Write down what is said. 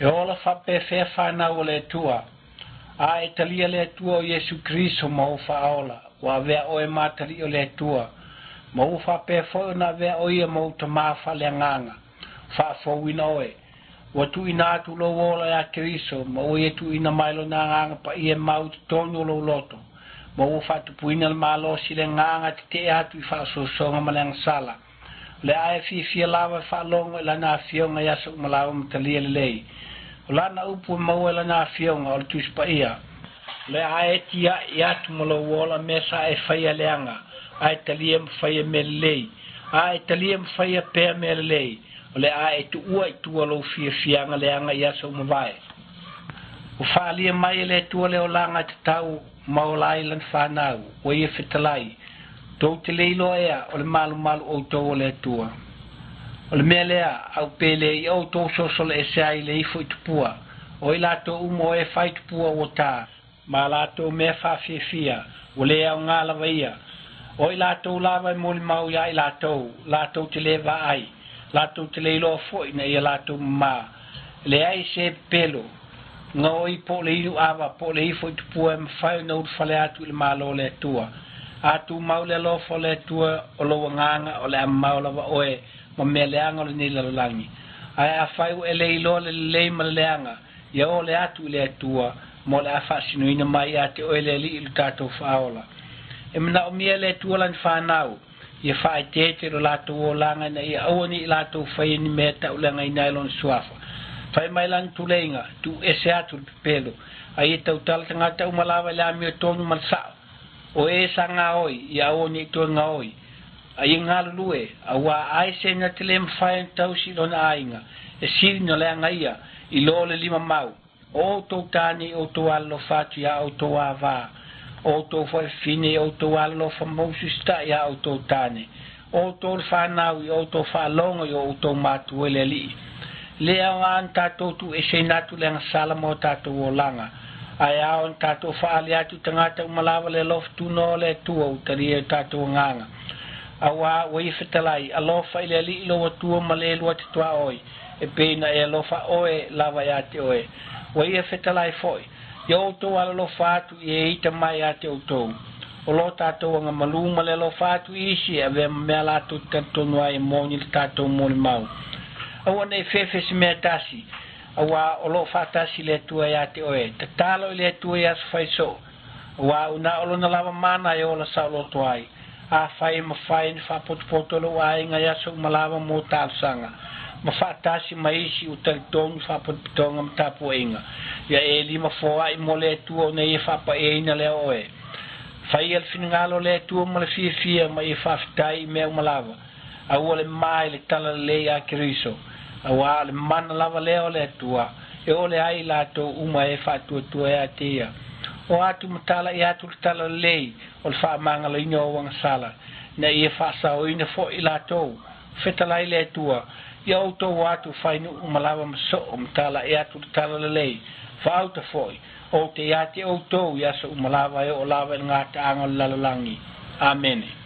E ola faapefea fanau o le Atua. A e talia le Atua o Iesu Keriso ma ou faaola, ua avea oe ma atalii o le Atua, ma ua faapea foi ona avea o ia ma ou tamā faaleagaga, faafouina oe. Ua tuuina atu lou ola ia Keriso, ma ua ia tuuina mai lona agaga paia e mau i totonu o lou loto, ma ua faatupuina le malosi i le agaga e tetee atu i faaosoosoga ma le agasala. O le a e fiafia lava e faalogo i lana afioga i aso uma lava ma talia lelei. O lana upu e maua i lana afioga o le Tusi Paia. O le a e tiai atu ma lou ola mea sa e faia leaga, a e talia ma faia mea lelei, a e talia ma faia pea mea lelei, o le a e tuua i tua lou fiafiaga leaga i aso ua mavae. Ua faaalia mai e le Atua le olaga e tatau ma ola ai lana fanau, ua ia fetalai, tou te le iloa ea o le malumalu outou o le Atua. O le mea lea, au pele i outou sosolo ese ai le ifo i tupua, o i latou uma o e fai tupua ua ta, ma latou mea faafiafia, ua le aoga lava ia. O i latou lava e molimau iā i latou, latou te le vaai, latou te le iloa foi ina ia latou mamā. E leai se pepelo, gaoi po o le inu ava po o le ifo i tupua e mafai ona ulufale atu i le Malo o le Atua. A tumau le alofa o le Atua o lou agaga, o le a mamao lava oe ma mea leaga o lenei lalolagi. Ae afai ua e le iloa le lelei ma le leaga, ia ole atu i le Atua, ma o le a faasinoina mai ia te oe le Alii lo tatou Faaola. E manaomia e le Atua lana fanau, ia faaeteete lo latou olaga ina ia aua ne i latou faia ni mea e tauleagaina ai lona suafa. Fai mai lana tuleiga, tuu ese atu le pepelo, a ia tautala tagata uma lava i le amiotonu ma le sao. O e sa gaoi, ia aua ne i toe gaoi, a ia galulue, auā ai se na te le mafai ona tausi i lona aiga, e sili ona leaga ia, i lo le lima mau. O outou tāne i outou alolofa atu iā outou avā, o outou foi fafine i outou alolofa ma usiusitaʻi iā outou tāne, o outou le fanau i outou faalogo i o outou matua i le Alii. E le aoga ona tatou tuueseina atu le agasala ma o tatou olaga, ae ao ona tatou faaali atu i tagata uma lava le alofa tunoa o le Atua ua talia e o tatou agaga. Auā ua ia fetalai, alofa i le Alii lou Atua ma le lua te tuaoi, e pei ona e alofa oe lava iā te oe. Ua ia fetalai foi, ia outou alolofa atu i e ita mai iā te outou. O lo tatou agamalū ma le alofa atu i isi e avea ma mea latou te talitonu ai e moni le tatou molimau. Aua ne i fefe se mea tasi, auā o lo o faatasi le Atua iā te oe. Tatalo i le Atua i aso fai soo, auā ua na o lona lava mana e ola saoloto ai. Afai e mafai ona faapotopoto lou aiga i aso uma lava mo talosaga, ma faatasi ma isi ua talitonu faapotopotoga ma tapuaiga, ia e lima foai mo le Atua ona ia faapaieina lea oe. Faia le finagalo o le Atua ma le fiafia ma ia faafetai i mea uma lava. Aua le ma i le talalelei a Keriso, auā o le mana lava lea o le Atua, e ole ai i latou uma e faatuatua ia te ia. O atu ma talai atu le talalelei o le faamagaloina o agasala, ina ia faasaoina foi i latou. Fetalai le Atua, ia outou o atu fai nuu uma lava ma soo ma talai atu le talalelei, faauta foi, ou te ia te outou i aso uma lava e oo lava i le gataaga o le lalolagi. Amene.